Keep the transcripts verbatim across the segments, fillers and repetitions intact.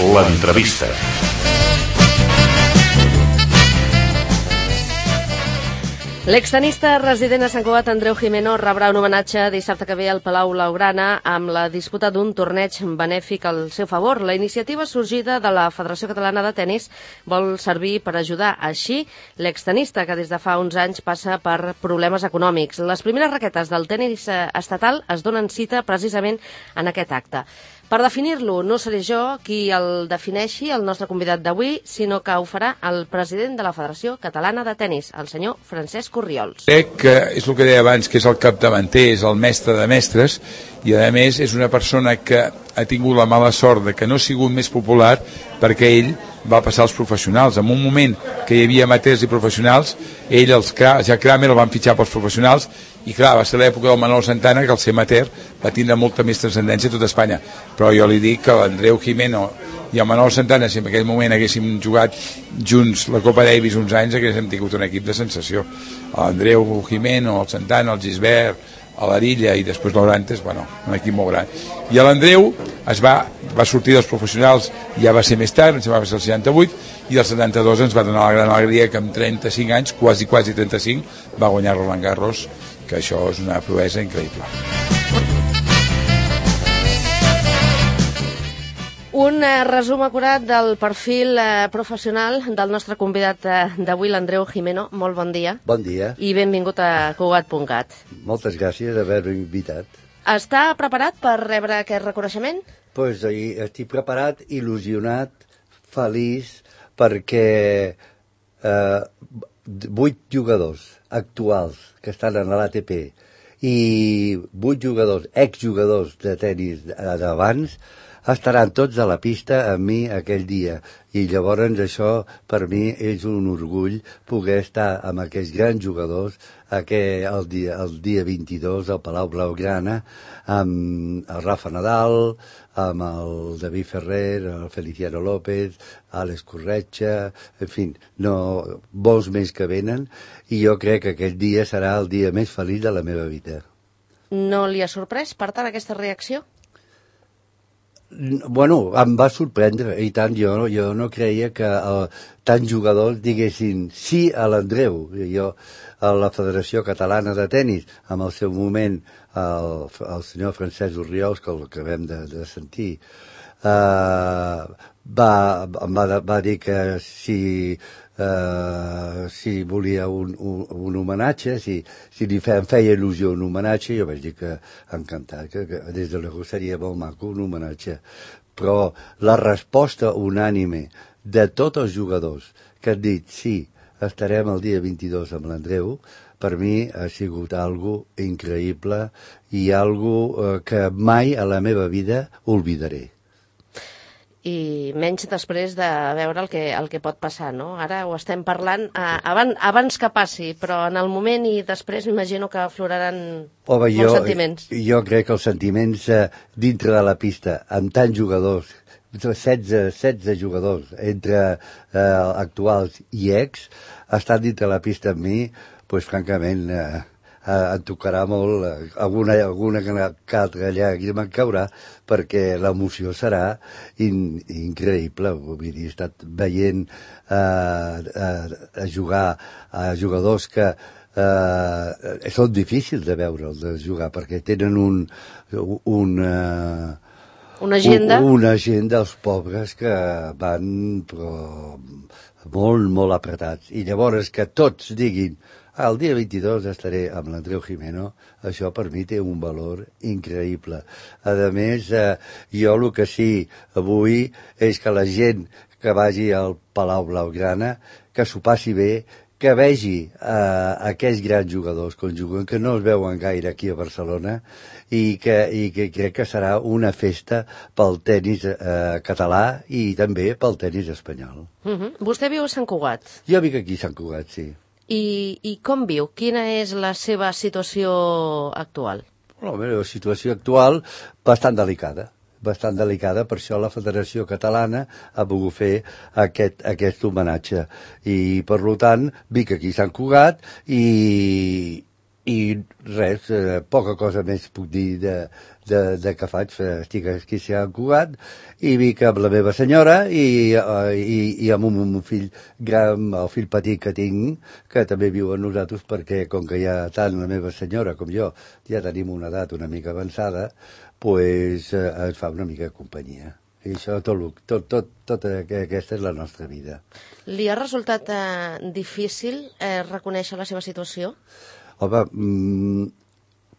L'entrevista. L'extenista resident a Sant Cugat, Andreu Gimeno, rebrà un homenatge dissabte que ve al Palau Blaugrana amb la disputa d'un torneig benèfic al seu favor. La iniciativa sorgida de la Federació Catalana de Tenis vol servir per ajudar així l'extenista, que des de fa uns anys passa per problemes econòmics. Les primeres raquetes del tenis estatal es donen cita precisament en aquest acte. Per definir-lo, no seré jo qui el defineixi, el nostre convidat d'avui, sinó que ho farà el president de la Federació Catalana de Tenis, el senyor Francesc Orriols. Crec que és el que deia abans, que és el capdavanter, és el mestre de mestres, i a més és una persona que ha tingut la mala sort de que no ha sigut més popular perquè ell va passar als professionals. En un moment que hi havia amateurs i professionals, ell, els ja Kramer, el van fitxar pels professionals, i clar, va ser l'època del Manolo Santana, que al ser amateur va tindre molta més transcendència a tota Espanya. Però jo li dic que l'Andreu Gimeno i el Manolo Santana, si en aquell moment haguéssim jugat junts la Copa Davis uns anys, haguéssim tingut un equip de sensació. L'Andreu Gimeno, el Santana, el Gisbert, a l'Arilla i després l'Orantes, bueno, un equip molt gran. I l'Andreu es va, va sortir dels professionals, ja va ser més tard, ens va ser el seixanta-vuit, i el setanta-dos ens va donar la gran alegria que amb trenta-cinc anys, quasi, quasi trenta-cinc, va guanyar Roland Garros, que això és una proesa increïble. Un eh, resum acurat del perfil eh, professional del nostre convidat eh, d'avui, l'Andreu Gimeno. Molt bon dia. Bon dia. I benvingut a Cugat punt cat. Moltes gràcies d'haver-me invitat. Està preparat per rebre aquest reconeixement? Pues, estic preparat, il·lusionat, feliç, perquè eh, vuit jugadors actuals que estan en l'A T P i vuit jugadors, exjugadors de tenis d'abans, estaran tots a la pista amb mi aquell dia. I llavors això per mi és un orgull poder estar amb aquests grans jugadors aquell, el, dia, el dia vint-i-dos al Palau Blaugrana amb el Rafa Nadal, amb el David Ferrer, el Feliciano López, Àlex Corretja, en fi, no, molts més que venen, i jo crec que aquest dia serà el dia més feliç de la meva vida. No li ha sorprès, per tant, aquesta reacció? Bueno, em va sorprendre, i tant, jo, jo no creia que uh, tants jugadors diguessin sí a l'Andreu. Jo, a la Federació Catalana de Tenis, amb el seu moment, el, el senyor Francesc Orriols, que el acabem de, de sentir, uh, va, va, va dir que si... Uh, si volia un, un, un homenatge, si, si li fe, em feia il·lusió un homenatge, jo vaig dir que encantat, que, que des de l'Ego seria molt maco un homenatge. Però la resposta unànime de tots els jugadors que han dit sí, estarem el dia vint-i-dos amb l'Andreu, per mi ha sigut algo increïble i algo uh, que mai a la meva vida oblidaré. I menys després de veure el que, el que pot passar, no? Ara ho estem parlant eh, abans, abans que passi, però en el moment i després m'imagino que afloraran Home, molts jo, sentiments. Jo crec que els sentiments eh, dintre de la pista, amb tants jugadors, setze, setze jugadors, entre eh, actuals i ex, estan dintre la pista amb mi, doncs francament... Eh, Uh, em tocarà molt, uh, alguna, alguna que altra llàgrima em caurà, perquè l'emoció serà in, increïble. Vull dir, he estat veient uh, uh, a jugar a jugadors que uh, són difícils de veure'ls de jugar, perquè tenen un... un uh, una agenda? Un, una agenda, els pobres, que van però, molt, molt apretats. I llavors que tots diguin el dia vint-i-dos estaré amb l'Andreu Gimeno, això per mi té un valor increïble. A més, eh, jo el que sí avui és que la gent que vagi al Palau Blaugrana, que s'ho passi bé, que vegi eh, aquests grans jugadors que juguen, que no es veuen gaire aquí a Barcelona, i que, i que crec que serà una festa pel tenis eh, català i també pel tenis espanyol. Uh-huh. Vostè viu a Sant Cugat? Jo vic aquí a Sant Cugat, sí. I, I com viu? Quina és la seva situació actual? La meva situació actual bastant delicada. Bastant delicada, per això la Federació Catalana ha volgut fer aquest, aquest homenatge. I, per tant, vic aquí a Sant Cugat i, i res, eh, poca cosa més puc dir de, de, de què faig. Estic aquí a Cugat i vic amb la meva senyora i, i, i amb un, un fill gran, el fill petit que tinc, que també viu amb nosaltres, perquè com que ja tant la meva senyora com jo ja tenim una edat una mica avançada, pues, eh, ens fa una mica de companyia. I això, tot, tot, tot, tot aquesta és la nostra vida. Li ha resultat eh, difícil eh, reconèixer la seva situació? Home, mmm,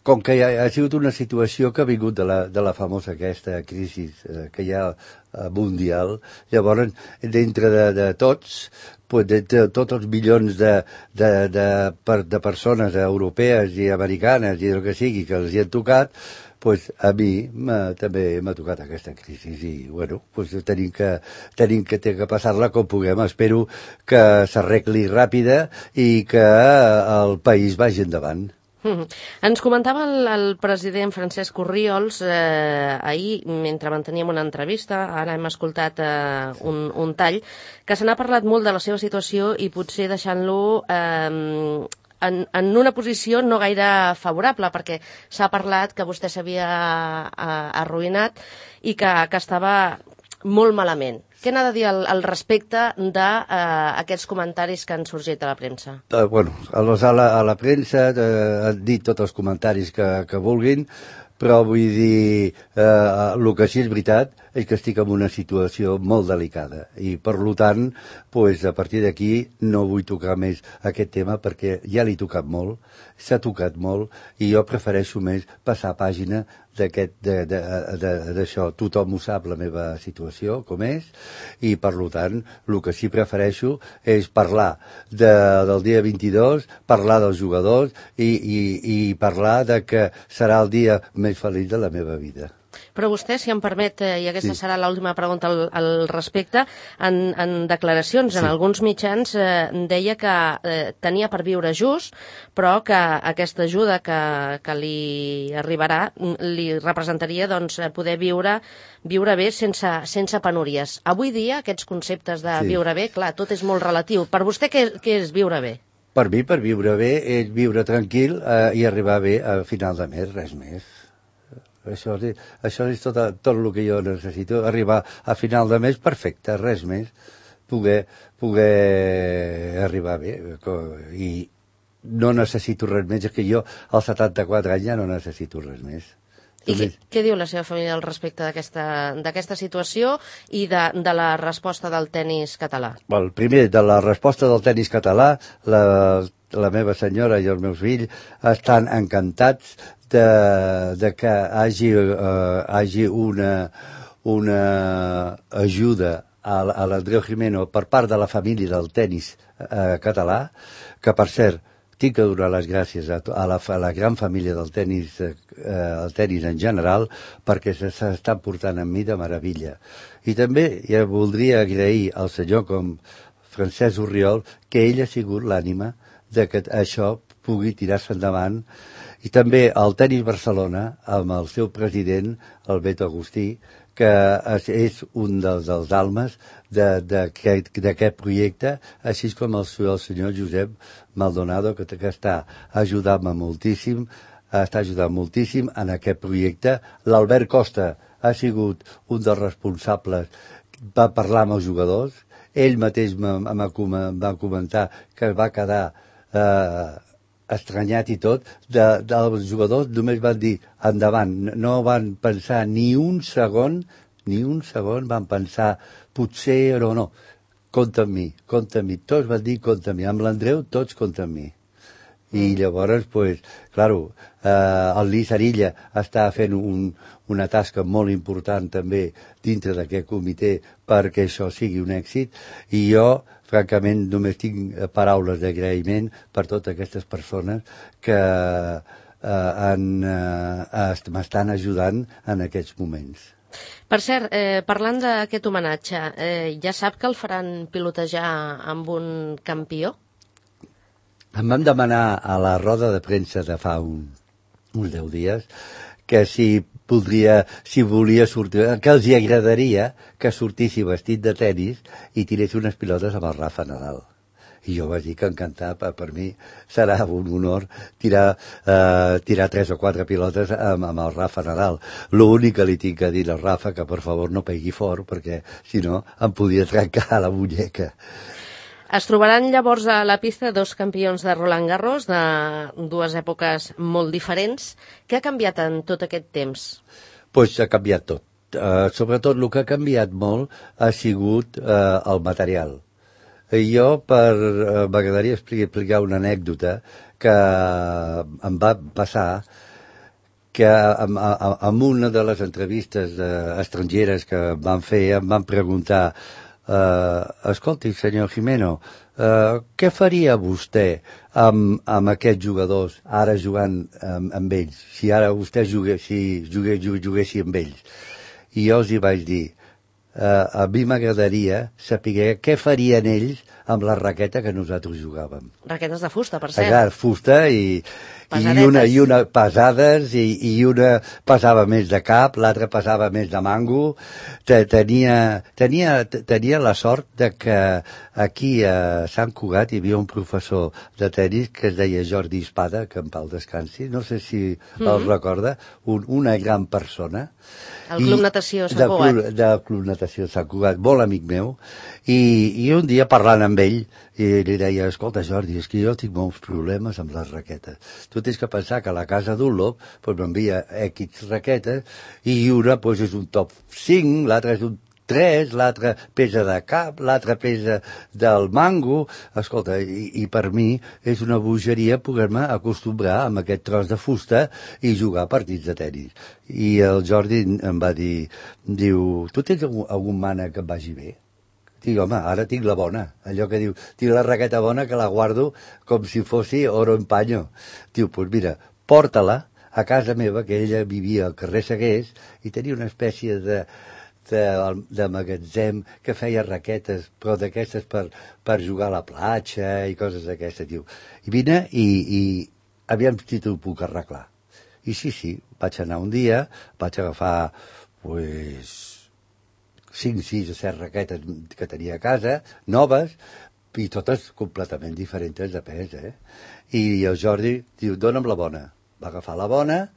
com que ha, ha sigut una situació que ha vingut de la, de la famosa aquesta crisi eh, que hi ha eh, mundial, llavors, dintre de, de tots, pues, de, de tots els milions de, de, de, de, de persones europees i americanes i el que sigui que els hi han tocat, pues a mi també m'ha tocat aquesta crisi i, bueno, pues tenim que, tenim que, que passar-la com puguem. Espero que s'arregli ràpida i que el país vagi endavant. Mm-hmm. Ens comentava el, el president Francesc Orriols eh, ahir, mentre manteníem una entrevista, ara hem escoltat eh, un, un tall, que se n'ha parlat molt de la seva situació i potser deixant-lo eh, En, en una posició no gaire favorable, perquè s'ha parlat que vostè s'havia arruïnat i que, que estava molt malament. Què n'ha de dir al, al respecte d'aquests eh, comentaris que han sorgit a la premsa? Uh, bueno, a la, a la premsa uh, han dit tots els comentaris que, que vulguin, però vull dir, eh, el que sí és veritat és que estic en una situació molt delicada i, per tant, pues, a partir d'aquí no vull tocar més aquest tema perquè ja l'he tocat molt, s'ha tocat molt i jo prefereixo més passar pàgina d'aquest, d'això. Tothom ho sap, la meva situació, com és, i, per tant, el que sí prefereixo és parlar de, del dia vint-i-dos, parlar dels jugadors i, i, i parlar de que serà el dia més feliç de la meva vida. Però vostè, si em permet, i aquesta sí. serà l'última pregunta al, al respecte, en, en declaracions sí. en alguns mitjans eh, deia que eh, tenia per viure just, però que aquesta ajuda que, que li arribarà li representaria doncs, poder viure, viure bé sense, sense penúries. Avui dia, aquests conceptes de sí. viure bé, clar, tot és molt relatiu. Per vostè, què, què és viure bé? Per mi, per viure bé, és viure tranquil eh, i arribar bé a final de mes, res més. Això, això és tot, tot el que jo necessito, arribar a final de mes perfecte, res més, poder, poder arribar bé. I no necessito res més, és que jo als setanta-quatre anys ja no necessito res més. I què, què diu la seva família al respecte d'aquesta situació i de, de la resposta del tennis català? Well, primer, de la resposta del tennis català, la, la meva senyora i els meus fills estan encantats de, de que hagi, uh, hagi una, una ajuda a, a l'Andreu Gimeno per part de la família del tennis uh, català, que, per cert, tinc que donar les gràcies a, a, la, a la gran família del tennis, eh, el tennis en general, perquè s'estan portant amb mi de meravella. I també ja voldria agrair al senyor com Francesc Orriol que ell ha sigut l'ànima de que això pugui tirar-se endavant. I també al Tenis Barcelona, amb el seu president, el Beto Agustí, que és un dels, dels almes d'aquest projecte, així com el, el senyor Josep Maldonado, que, que està ajudant-me moltíssim, està ajudant moltíssim en aquest projecte. L'Albert Costa ha sigut un dels responsables, va parlar amb els jugadors, ell mateix va comentar que va quedar eh, estranyat i tot, de, dels jugadors només van dir endavant, no van pensar ni un segon, ni un segon van pensar potser o no, compta amb mi, compta amb mi, tots van dir compta amb mi, amb l'Andreu tots compta amb mi. I llavors, pues, claro, eh, el Lluís Arilla està fent un, una tasca molt important també dintre d'aquest comitè perquè això sigui un èxit, i jo francament només tinc paraules d'agraïment per totes aquestes persones que eh, eh, m'estan ajudant en aquests moments. Per cert, eh, parlant d'aquest homenatge, eh, ja sap que el faran pilotejar amb un campió? Em van demanar a la roda de premsa de fa un, uns deu dies que si voldria, si volia sortir, que els hi agradaria que sortissi vestit de tenis i tirés unes pilotes amb el Rafa Nadal. I jo vaig dir que encantat, per, per mi serà un honor tirar, eh, tirar tres o quatre pilotes amb, amb el Rafa Nadal. L'únic que li tinc a dir al Rafa que per favor no pegui fort, perquè si no em podia trencar la muñeca. Es trobaran llavors a la pista dos campions de Roland Garros de dues èpoques molt diferents. Què ha canviat en tot aquest temps? Pues ha canviat tot. Uh, sobretot el que ha canviat molt ha sigut uh, el material. Jo, per, uh, m'agradaria explicar una anècdota que em va passar, que en, en una de les entrevistes uh, estrangeres que em van fer em van preguntar uh, escolti, senyor Gimeno, uh, què faria vostè amb, amb aquests jugadors ara jugant um, amb ells, si ara vostè jugués, si jugués, juguessi amb ells? I jo els hi vaig dir, Uh, a mi m'agradaria saber què farien ells amb la raqueta que nosaltres jugàvem. Raquetes de fusta, per cert. Exacte, fusta i, i una, i una pesades i, i una pesava més de cap, l'altra pesava més de mango. Tenia, tenia, tenia la sort de que aquí a Sant Cugat hi havia un professor de tenis que es deia Jordi Espada, que en pau descansi, no sé si mm-hmm. el recorda, un, una gran persona. El Club Natació Sant Cugat. Del Club, Club Natació Sant Cugat, molt amic meu, i, i un dia parlant amb ell, i li deia, escolta Jordi, és que jo tinc molts problemes amb les raquetes. Tu tens que pensar que a la casa Dunlop pues, m'envia X raquetes, i una pues, és un top cinc, l'altra és un tres, l'altre pesa de cap, l'altre pesa del mango. Escolta, i, i per mi és una bogeria poder-me acostumbrar amb aquest tros de fusta i jugar partits de tenis. I el Jordi em va dir, diu, tu tens algun, algun mànec que et vagi bé? Dic, home, ara tinc la bona. Allò que diu, tinc la raqueta bona que la guardo com si fossi oro en paño. Diu, doncs pues mira, porta-la a casa meva, que ella vivia al carrer Segués, i tenia una espècie de De, de magatzem que feia raquetes, però d'aquestes per, per jugar a la platja i coses d'aquestes, diu. I vine i, i aviam si t'ho puc arreglar. I sí, sí, vaig anar un dia, vaig agafar, pues, cinc, sis o set raquetes que tenia a casa, noves, i totes completament diferents de pes, eh? I el Jordi diu, dona'm la bona. Va agafar la bona,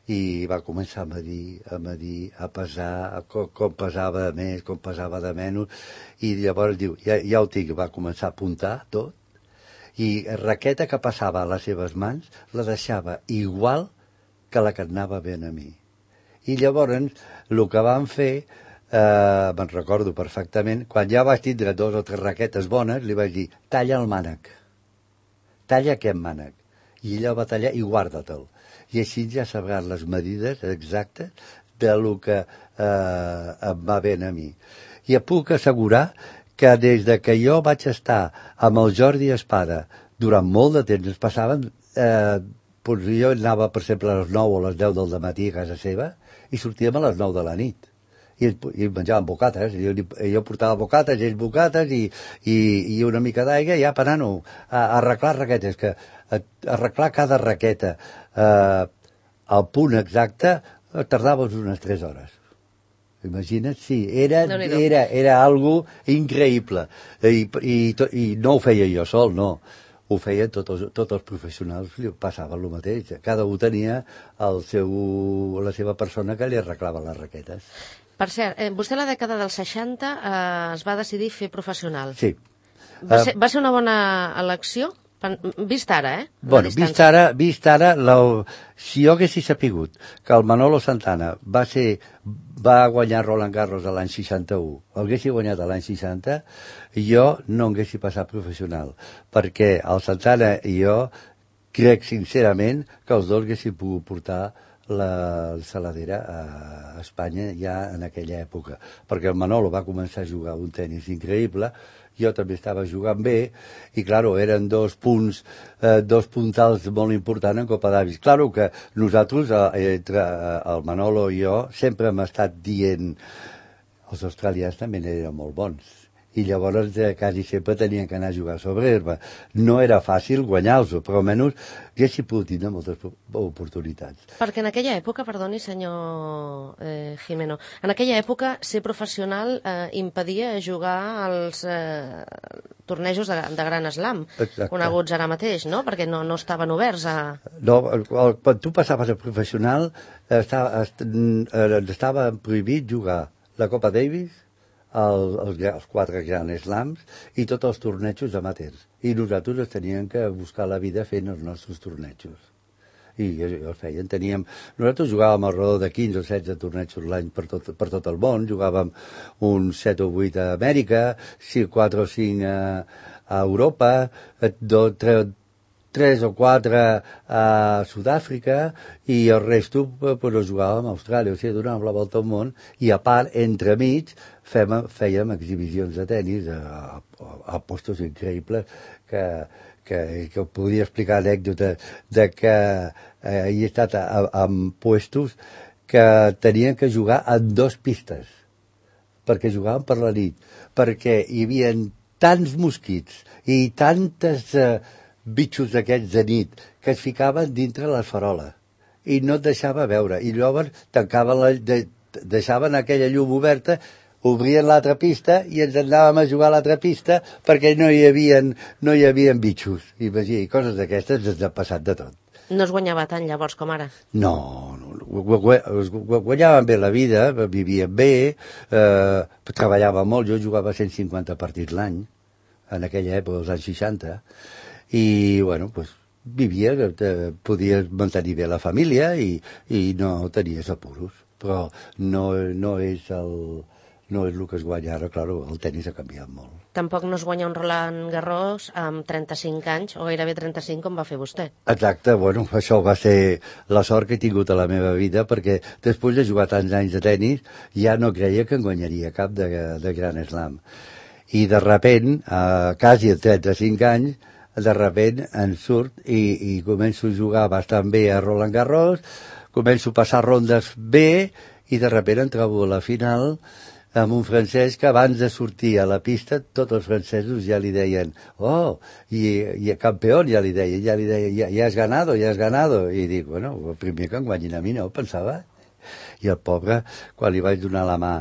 i va començar a medir, a medir, a pesar, a com, com pesava de més, com pesava de menys, i llavors diu, ja, ja ho tinc, va començar a apuntar tot, i raqueta que passava a les seves mans la deixava igual que la que anava ben a mi. I llavors, el que van fer, eh, me'n recordo perfectament, quan ja vaig tindre dos o tres raquetes bones, li vaig dir, talla el mànec, talla aquest mànec, i ella va tallar i guarda-te'l. I així ja sabràs les medides exactes de lo que eh, em va ben a mi. I et puc assegurar que des de que jo vaig estar amb el Jordi Espada durant molt de temps, es passaven, eh, doncs jo anava, per exemple, a les nou o a les deu del matí a casa seva i sortíem a les nou de la nit. I, i menjàvem bocates, jo, jo portava bocates, ells bocates i, i, i una mica d'aigua ja per anar a, a arreglar raquetes, que a, a arreglar cada raqueta eh, al punt exacte tardaves unes tres hores. Imagina't, sí, era, era, era algo increïble. I, i, i no ho feia jo sol, no. Ho feien tots els, tots els professionals, li passava el mateix. Cada un tenia el seu, la seva persona que li arreglava les raquetes. Per cert, eh, vostè a la dècada dels seixanta eh, es va decidir fer professional. Sí. Va ser, va ser una bona elecció? Vist ara, eh? Bueno, vist ara, vist ara la, si jo haguessi sapigut que el Manolo Santana va ser, va guanyar Roland Garros l'any seixanta-u, el haguessi guanyat l'any seixanta, jo no haguessi passat professional, perquè el Santana i jo crec sincerament que els dos haguessin pogut portar la saladera a Espanya ja en aquella època, perquè el Manolo va començar a jugar un tenis increïble, jo també estava jugant bé, i claro, eren dos punts, eh, dos puntals molt importants en Copa Davis. Claro que nosaltres, eh, entre el Manolo i jo, sempre hem estat dient, els australians també eren molt bons, i llavors eh, quasi sempre tenien que anar a jugar sobre herba. No era fàcil guanyar-los, però almenys haguessin pogut tindre moltes oportunitats. Perquè en aquella època, perdoni senyor eh, Jimeno, en aquella època ser professional eh, impedia jugar als eh, tornejos de, de Gran Slam, Exacte. coneguts ara mateix, no? Perquè no, no estaven oberts a... No, quan tu passaves a professional estava, estava prohibit jugar la Copa Davis, el, els, els quatre Grand Slams i tots els tornejos amateurs. I nosaltres teníem que buscar la vida fent els nostres tornejos. I els feien. Teníem... Nosaltres jugàvem al redor de quinze o setze tornejos l'any per tot, per tot el món. Jugàvem uns set o vuit a Amèrica, quatre o cinc a, a Europa, dos, tres, tres o quatre a Sud-àfrica i el resto pues, ho jugàvem a Austràlia. O sigui, donàvem la volta al món i a part, entremig, fèiem, fèiem exhibicions de tennis a, a, a postos increïbles que, que, que podria explicar anècdotes de que eh, he estat a, a, en puestos que tenien que jugar en dos pistes perquè jugaven per la nit, perquè hi havia tants mosquits i tantes eh, bitxos d'aquests de nit que es ficaven dintre les faroles i no et deixava veure. I llavors tancaven la, de, deixaven aquella llum oberta, obrien l'altra pista i ens anàvem a jugar a l'altra pista perquè no hi havia, no hi havia bitxos. I, i coses d'aquestes ens ha passat de tot. No es guanyava tant llavors com ara? No, no guanyàvem bé la vida, vivíem bé, eh, treballàvem molt, jo jugava cent cinquanta partits l'any, en aquella època, als anys seixanta, i, bueno, pues, vivia, eh, podies mantenir bé la família i, i no tenies apuros, però no, no és el... no és el que es guanya ara, clar, el tenis ha canviat molt. Tampoc no es guanya un Roland Garros amb trenta-cinc anys, o gairebé trenta-cinc, com va fer vostè. Exacte, bueno, això va ser la sort que he tingut a la meva vida, perquè després de jugar tants anys de tenis, ja no creia que en guanyaria cap de, de Grand Slam. I de repent, a quasi a trenta-cinc anys, de repent en surt i, i començo a jugar bastant bé a Roland Garros, començo a passar rondes bé, i de repent em trobo a la final amb un francès que abans de sortir a la pista tots els francesos ja li deien oh, i, i campió ja li deia, ja li deia, ja, ja has ganado, ja has ganado, i dic, bueno, el primer que em guanyin a mi no, pensava. I el pobre, quan li vaig donar la mà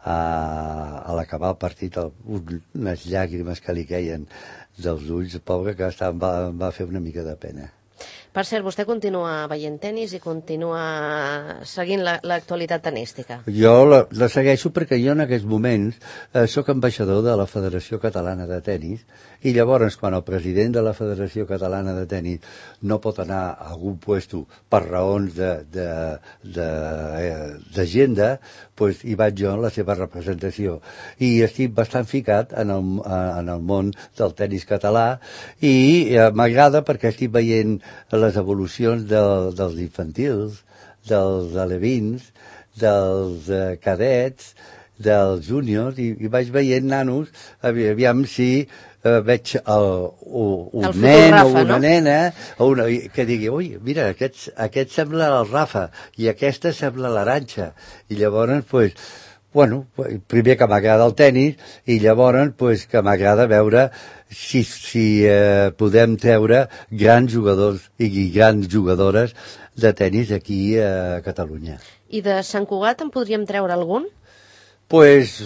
a, a l'acabar el partit, el, unes llàgrimes que li queien dels ulls, el pobre que estava, em, va, em va fer una mica de pena. Per cert, vostè continua veient tenis i continua seguint l'actualitat la, tenística. Jo la, la segueixo perquè jo en aquests moments eh, sóc ambaixador de la Federació Catalana de Tenis i llavors quan el president de la Federació Catalana de Tenis no pot anar a algun puesto per raons d'agenda, pues hi vaig jo en la seva representació. I estic bastant ficat en el, en el món del tenis català i eh, m'agrada perquè estic veient les evolucions de, dels infantils, dels alevins, dels eh, cadets, dels júniors, i, i vaig veient nanos, aviam si eh, veig el, un el nen Rafa, o una no? nena o una, que digui, ui, mira, aquest, aquest sembla el Rafa i aquesta sembla l'Arantxa. I llavors, pues, bueno, primer que m'agrada el tenis i llavors pues, que m'agrada veure si, si eh, podem treure grans jugadors i grans jugadores de tenis aquí a Catalunya. I de Sant Cugat en podríem treure algun? Pues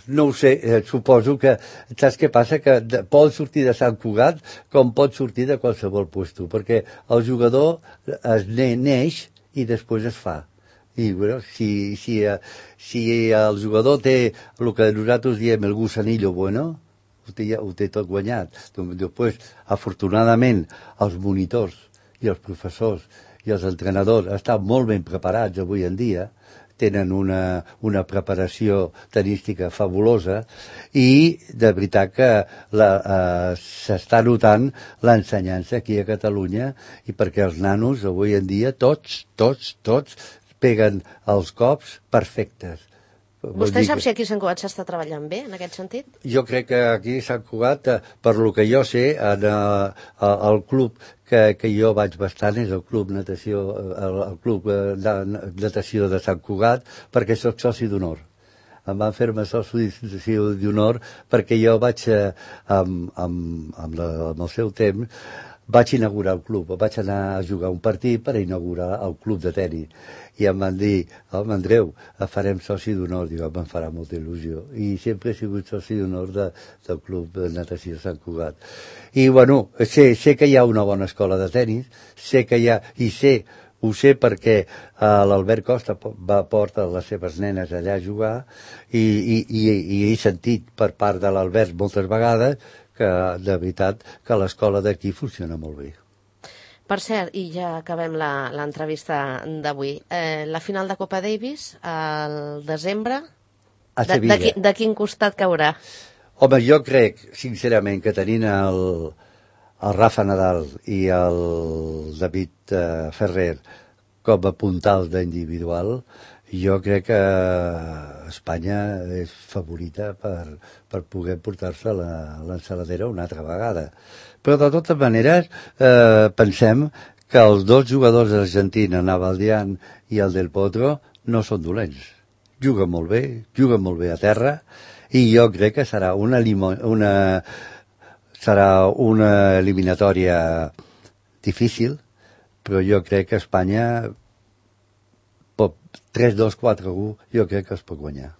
no ho sé, eh, suposo que, saps què passa? Que de, pot sortir de Sant Cugat com pot sortir de qualsevol puesto, perquè el jugador es ne, neix i després es fa. I bueno, si, si, si el jugador té el que nosaltres diem el gusanillo bueno, ho té, ho té tot guanyat. Després, afortunadament, els monitors i els professors i els entrenadors estan molt ben preparats avui en dia, tenen una, una preparació tenística fabulosa i de veritat que eh, s'està notant l'ensenyança aquí a Catalunya i perquè els nanos avui en dia tots, tots, tots peguen els cops perfectes. Vostè sap si aquí a Sant Cugat s'està treballant bé, en aquest sentit? Jo crec que aquí a Sant Cugat, per lo que jo sé, en el, el club que, que jo vaig bastant és el club natació, el, el club de natació de Sant Cugat, perquè soc soci d'honor. em van fer-me soci d'honor perquè jo vaig, eh, amb, amb, amb, la, amb el seu temps, vaig inaugurar el club, vaig anar a jugar un partit per inaugurar el club de tenis. I em van dir, home, Andreu, farem soci d'honor. Dic, em farà molta il·lusió. I sempre he sigut soci d'honor de, del club de natació Sant Cugat. I, bueno, sé, sé que hi ha una bona escola de tenis, sé que hi ha, i sé, ho sé perquè uh, l'Albert Costa va portar les seves nenes allà a jugar i, i, i, i he sentit per part de l'Albert moltes vegades que, de veritat, que l'escola d'aquí funciona molt bé. Per cert, i ja acabem l'entrevista d'avui, eh, la final de Copa Davis al desembre, a de, de, qui, de quin costat caurà? Home, jo crec, sincerament, que tenint el, el Rafa Nadal i el David eh, Ferrer com a puntals d'individual, jo crec que Espanya és favorita per, per poder portar-se l'ensaladera una altra vegada. Però de totes maneres eh, pensem que els dos jugadors d'Argentina, Navaldyan i el Del Potro, no són dolents. Juguen molt bé, juguen molt bé a terra, i jo crec que serà una, una, serà una eliminatòria difícil, però jo crec que Espanya tres dos quatre u jo crec que es pot guanyar.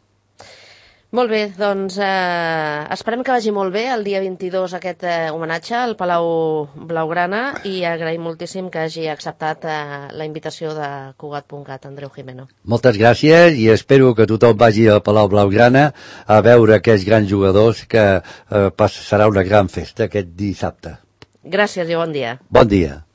Molt bé, doncs eh, esperem que vagi molt bé el dia vint-i-dos aquest eh, homenatge al Palau Blaugrana i agraïm moltíssim que hagi acceptat eh, la invitació de Cugat punt cat, Andreu Gimeno. Moltes gràcies i espero que tothom vagi al Palau Blaugrana a veure aquests grans jugadors que eh, serà una gran festa aquest dissabte. Gràcies i bon dia. Bon dia.